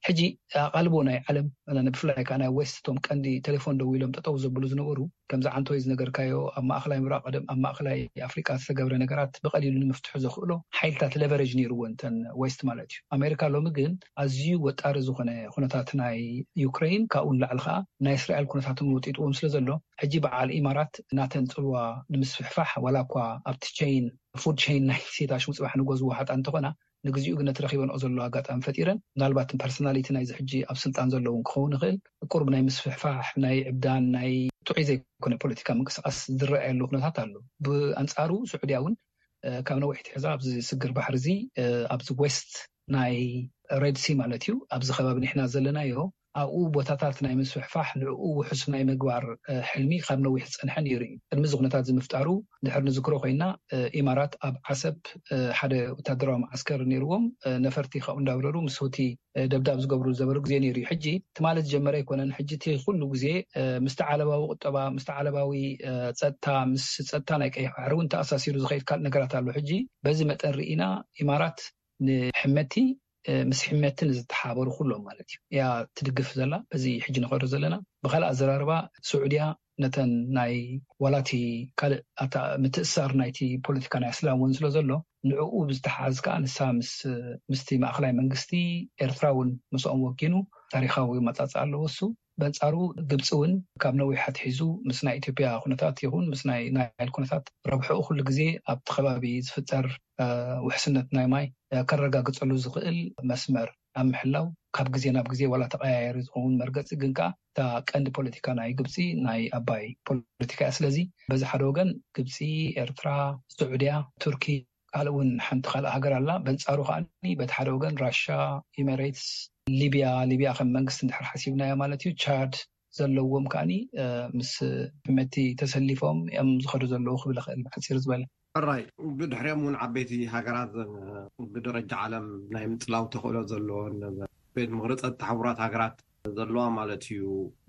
ሕጂ ኣቓልቦ ናይ ዓለም ብፍላይ ከዓ ናይ ዌስት እቶም ቀንዲ ቴሌፎን ደው ኢሎም ጠጠው ዘብሉ ዝነበሩ ከምዚ ዓንቶይ ዝነገርካዮ ኣብ ማእኸላይ ምብራቕ ቀደም ኣብ ማእኸላይ ኣፍሪቃ ዝተገብረ ነገራት ብቐሊሉ ንምፍትሑ ዘኽእሎ ሓይልታት ለቨሬጅ ነይርዎ እንተን ዌስት ማለት እዩ ኣሜሪካ ሎሚ ግን ኣዝዩ ወጣሪ ዝኾነ ኩነታት ናይ ዩክሬን ካብኡ ንላዕሊ ከዓ ናይ እስራኤል ኩነታት እውን ወጢጥዎም ስለ ዘሎ ሕጂ በዓል ኢማራት ናተን ፅልዋ ንምስፍሕፋሕ ዋላ እኳ ኣብቲ ቸይን ፉድ ቸይን ናይ ሴታሽ ምፅባሕ ንጎዝዎ ሓጣ እንተኾና ንግዚኡ ግን ነቲ ረኺበንኦ ዘሎ ኣጋጣሚ ፈጢረን ምናልባት ፐርሶናሊቲ ናይዚ ሕጂ ኣብ ስልጣን ዘለውን ክኸውን ይኽእል ቁርብ ናይ ምስፍሕፋሕ ናይ ዕብዳን ናይ ጥዑይ ዘይኮነ ፖለቲካ ምንቅስቃስ ዝረኣየሉ ኩነታት ኣሎ ብኣንፃሩ ስዑድያ እውን ካብ ነዊሕ ትሕዛ ኣብዚ ስግር ባሕሪ እዚ ኣብዚ ዌስት ናይ ሬድ ሲ ማለት እዩ ኣብዚ ከባቢ ንሕና ዘለናዮ ኣብኡ ቦታታት ናይ ምስፍሕፋሕ፣ ንዕኡ ውሑስ ናይ ምግባር ሕልሚ ካብ ነዊሕ ዝፀንሐ ነይሩ እዩ። ቅድሚ እዚ ኩነታት ዝምፍጣሩ ድሕር ንዝክሮ ኮይና፣ ኢማራት ኣብ ዓሰብ ሓደ ወታደራዊ መዓስከር ነይርዎም። ነፈርቲ ካብኡ እንዳብረሩ ምስ ሁቲ ደብዳብ ዝገብሩ ዝነበሩ ግዜ ነይሩ እዩ። ሕጂ ትማሊ ዝጀመረ ኣይኮነን። ሕጂ እቲ ኩሉ ግዜ ምስቲ ዓለባዊ ቁጠባ፣ ምስቲ ዓለባዊ ፀጥታ፣ ምስ ፀጥታ ናይ ቀይሕ ባሕሪ እውን ተኣሳሲሩ ዝኸይድ ካልእ ነገራት ኣሎ። ሕጂ በዚ መጠን ርኢና ኢማራት ንሕመቲ ምስ ሕመቲ ንዝተሓበሩ ኩሎም ማለት እዩ እያ ትድግፍ ዘላ። በዚ ሕጂ ንኸዶ ዘለና ብካልእ ኣዘራርባ ስዑድያ ነተን ናይ ዋላቲ ካልእ ኣታ ምትእሳር ናይቲ ፖለቲካ ናይ እስላም እውን ስለ ዘሎ ንዕኡ ብዝተሓዝ ከዓ ንሳ ምስ ምስቲ ማእኸላይ መንግስቲ ኤርትራ እውን ምስኦም ወጊኑ ታሪካዊ መጻጽእ ኣለዎ እሱ። በንጻሩ ግብፂ እውን ካብ ነዊሕ ኣትሒዙ ምስ ናይ ኢትዮጵያ ኩነታት ይኹን ምስ ናይ ናይል ኩነታት ረብሕኡ ኩሉ ግዜ ኣብቲ ከባቢ ዝፍጠር ውሕስነት ናይ ማይ ከረጋግፀሉ ዝኽእል መስመር ኣብ ምሕላው ካብ ግዜ ናብ ግዜ ዋላ ተቀያየሪ ዝኸውን መርገፂ ግን ከዓ እታ ቀንዲ ፖለቲካ ናይ ግብፂ ናይ ኣባይ ፖለቲካ እያ። ስለዚ በዚ ሓደ ወገን ግብፂ፣ ኤርትራ፣ ስዑድያ፣ ቱርኪ ካልእ እውን ሓንቲ ካልእ ሃገር ኣላ። በንጻሩ ከዓ በቲ ሓደ ወገን ራሻ፣ ኢሜሬትስ፣ ሊብያ፣ ሊብያ ከም መንግስቲ እንድሕር ሓሲብናያ ማለት እዩ፣ ቻድ ዘለዎም ከዓ ምስ ሕመቲ ተሰሊፎም እዮም ዝኸዱ ዘለዉ ክብል ይኽእል ብሓፂር ዝበለ። ሕራይ ብድሕሪኦም እውን ዓበይቲ ሃገራት ብደረጃ ዓለም ናይ ምፅላው ተኽእሎ ዘለዎን ቤት ምኽሪ ፀጥታ ሕቡራት ሃገራት ዘለዋ ማለት እዩ።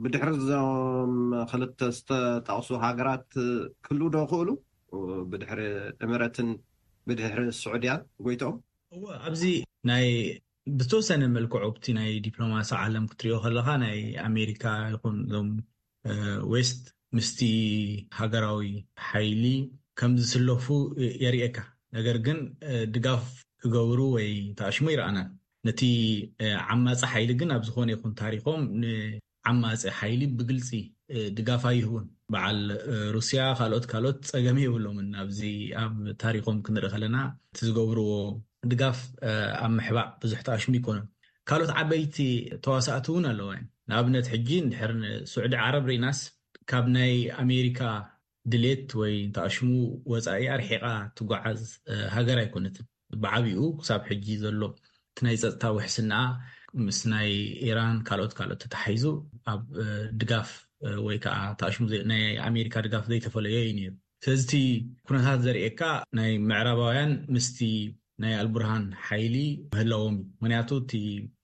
ብድሕሪ እዞም ክልተ ዝተጠቕሱ ሃገራት ክህሉ ዶ ክእሉ ብድሕሪ እምረትን ብድሕሪ ስዑድያን ጎይቶም? እወ፣ ኣብዚ ናይ ብተወሰነ መልክዑ ኣብቲ ናይ ዲፕሎማሲ ዓለም ክትሪኦ ከለካ ናይ ኣሜሪካ ይኹን እዞም ዌስት ምስቲ ሃገራዊ ሓይሊ ከም ዝስለፉ የርእየካ። ነገር ግን ድጋፍ ክገብሩ ወይ ተኣሽሙ ይረኣናን። ነቲ ዓማፂ ሓይሊ ግን ኣብ ዝኾነ ይኹን ታሪኮም ዓማፂ ሓይሊ ብግልፂ ድጋፍ ኣይህቡን። በዓል ሩስያ ካልኦት ካልኦት ፀገም የብሎምን። ኣብዚ ኣብ ታሪኮም ክንርኢ ከለና እቲ ዝገብርዎ ድጋፍ ኣብ ምሕባእ ብዙሕ ተኣሽሙ ይኮኑን። ካልኦት ዓበይቲ ተዋሳእቲ እውን ኣለዋ። ንኣብነት ሕጂ እንድሕር ንስዑዲ ዓረብ ርኢናስ ካብ ናይ ኣሜሪካ ድሌት ወይ ተኣሽሙ ወፃኢ ኣርሒቃ ትጓዓዝ ሃገር ኣይኮነትን። ብዓቢኡ ክሳብ ሕጂ ዘሎ እቲ ናይ ፀጥታ ውሕስና ምስ ናይ ኢራን ካልኦት ካልኦት ተታሒዙ ኣብ ድጋፍ ወይ ከዓ ተኣሽሙ ናይ ኣሜሪካ ድጋፍ ዘይተፈለዮ እዩ ነይሩ። ስለዚ እቲ ኩነታት ዘርእየካ ናይ ምዕራባውያን ምስቲ ናይ ኣልቡርሃን ሓይሊ ምህላዎም እዩ። ምክንያቱ እቲ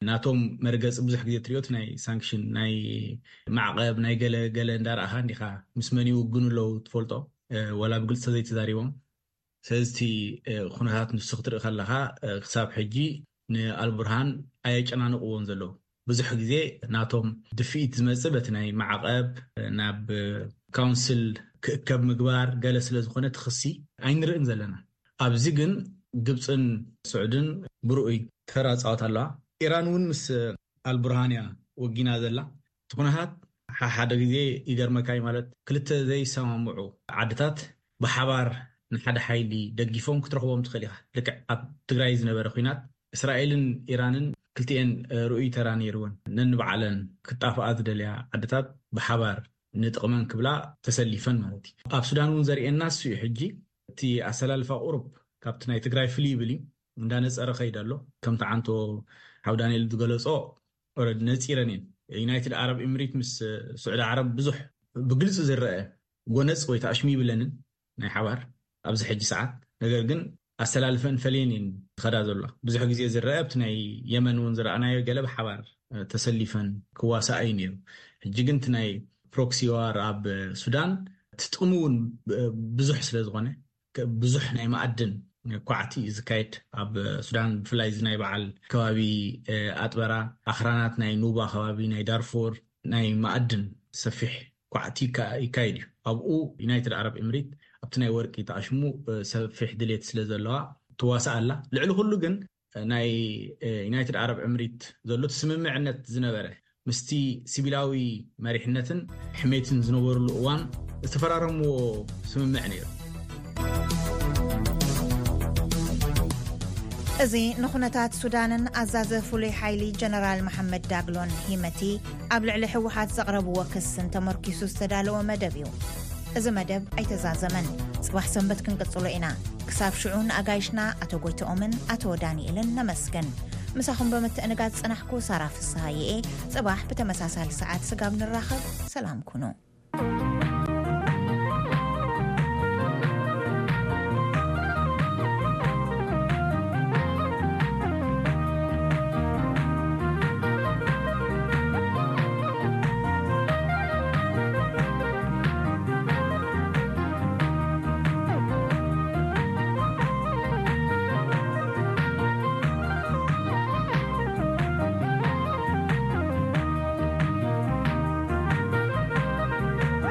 ናቶም መርገፂ ብዙሕ ግዜ ትሪኦ ናይ ሳንክሽን ናይ ማዕቐብ ናይ ገለ ገለ እንዳረኣኻ እንዲኻ ምስ መን ይውግኑ ኣለዉ ትፈልጦ፣ ወላ ብግልፂ ዘይተዛሪቦም። ስለዚ እቲ ኩነታት ንሱ ክትርኢ ከለካ ክሳብ ሕጂ ንኣልቡርሃን ኣየጨናንቅዎን ዘለዉ። ብዙሕ ግዜ ናቶም ድፍኢት ዝመፅእ በቲ ናይ ማዕቐብ ናብ ካውንስል ክእከብ ምግባር ገለ ስለ ዝኾነ ትኽሲ ኣይንርእን ዘለና። ኣብዚ ግን ግብፅን ስዑድን ብርኡይ ተራ ፃወት ኣለዋ። ኢራን እውን ምስ ኣልቡርሃን እያ ወጊና ዘላ። እቲ ኩነታት ሓሓደ ግዜ ይገርመካ እዩ፣ ማለት ክልተ ዘይሰማምዑ ዓድታት ብሓባር ንሓደ ሓይሊ ደጊፎም ክትረኽቦም ትኽእል ኢኻ። ልክዕ ኣብ ትግራይ ዝነበረ ኩናት እስራኤልን ኢራንን ክልቲኤን ርኡይ ተራ ነይርወን። ነንባዕለን ክጣፍኣ ዝደልያ ዓድታት ብሓባር ንጥቕመን ክብላ ተሰሊፈን ማለት እዩ። ኣብ ሱዳን እውን ዘርእየና እሱ እዩ። ሕጂ እቲ ኣሰላልፋ ቁሩብ ካብቲ ናይ ትግራይ ፍልይ ይብል እዩ። እንዳነፀረ ከይድ ኣሎ። ከምቲ ዓንቶ ሓው ዳንኤል ዝገለፆ ኦረድ ነፂረን እየን። ዩናይትድ ዓረብ ኤምሬት ምስ ስዑዲ ዓረብ ብዙሕ ብግልፂ ዝረአ ጎነፅ ወይ ተኣሽሙ ይብለንን ናይ ሓባር ኣብዚ ሕጂ ሰዓት። ነገር ግን ኣሰላልፈን ፈለየን እየን ዝኸዳ ዘለዋ። ብዙሕ ግዜ ዝረአ ኣብቲ ናይ የመን እውን ዝረኣናዮ ገለ ብሓባር ተሰሊፈን ክዋሳኣ እዩ ነይሩ። ሕጂ ግን እቲ ናይ ፕሮክሲ ዋር ኣብ ሱዳን እቲ ጥቕሚ እውን ብዙሕ ስለ ዝኾነ ብዙሕ ናይ መኣድን ኳዕቲ እዩ ዝካየድ ኣብ ሱዳን። ብፍላይ እዚ ናይ በዓል ከባቢ ኣጥበራ ኣኽራናት ናይ ኑባ ከባቢ ናይ ዳርፎር ናይ መኣድን ሰፊሕ ኳዕቲ ይካየድ እዩ። ኣብኡ ዩናይትድ ዓረብ ኤምሬት ኣብቲ ናይ ወርቂ ተኣሽሙ ሰፊሕ ድሌት ስለ ዘለዋ ትዋሳእ ኣላ። ልዕሊ ኩሉ ግን ናይ ዩናይትድ ዓረብ ዕምሪት ዘሎ እቲ ስምምዕነት ዝነበረ ምስቲ ሲቪላዊ መሪሕነትን ሕሜትን ዝነበሩሉ እዋን ዝተፈራረምዎ ስምምዕ ነይሩ። እዚ ንኹነታት ሱዳንን ኣዛዘ ፍሉይ ሓይሊ ጀነራል መሓመድ ዳግሎን ሂመቲ ኣብ ልዕሊ ህወሓት ዘቕረብዎ ክስን ተመርኪሱ ዝተዳለወ መደብ እዩ። እዚ መደብ ኣይተዛዘመን። ጽባሕ ሰንበት ክንቅጽሎ ኢና። ክሳብ ሽዑ ንኣጋይሽና ኣቶ ጎይተኦምን ኣቶ ዳንኤልን ነመስግን። ምሳኹም ብምትእንጋድ ጽናሕኩ ሳራ ፍስሃየ እየ። ጽባሕ ብተመሳሳሊ ሰዓት ስጋብ ንራኸብ፣ ሰላም ኩኑ።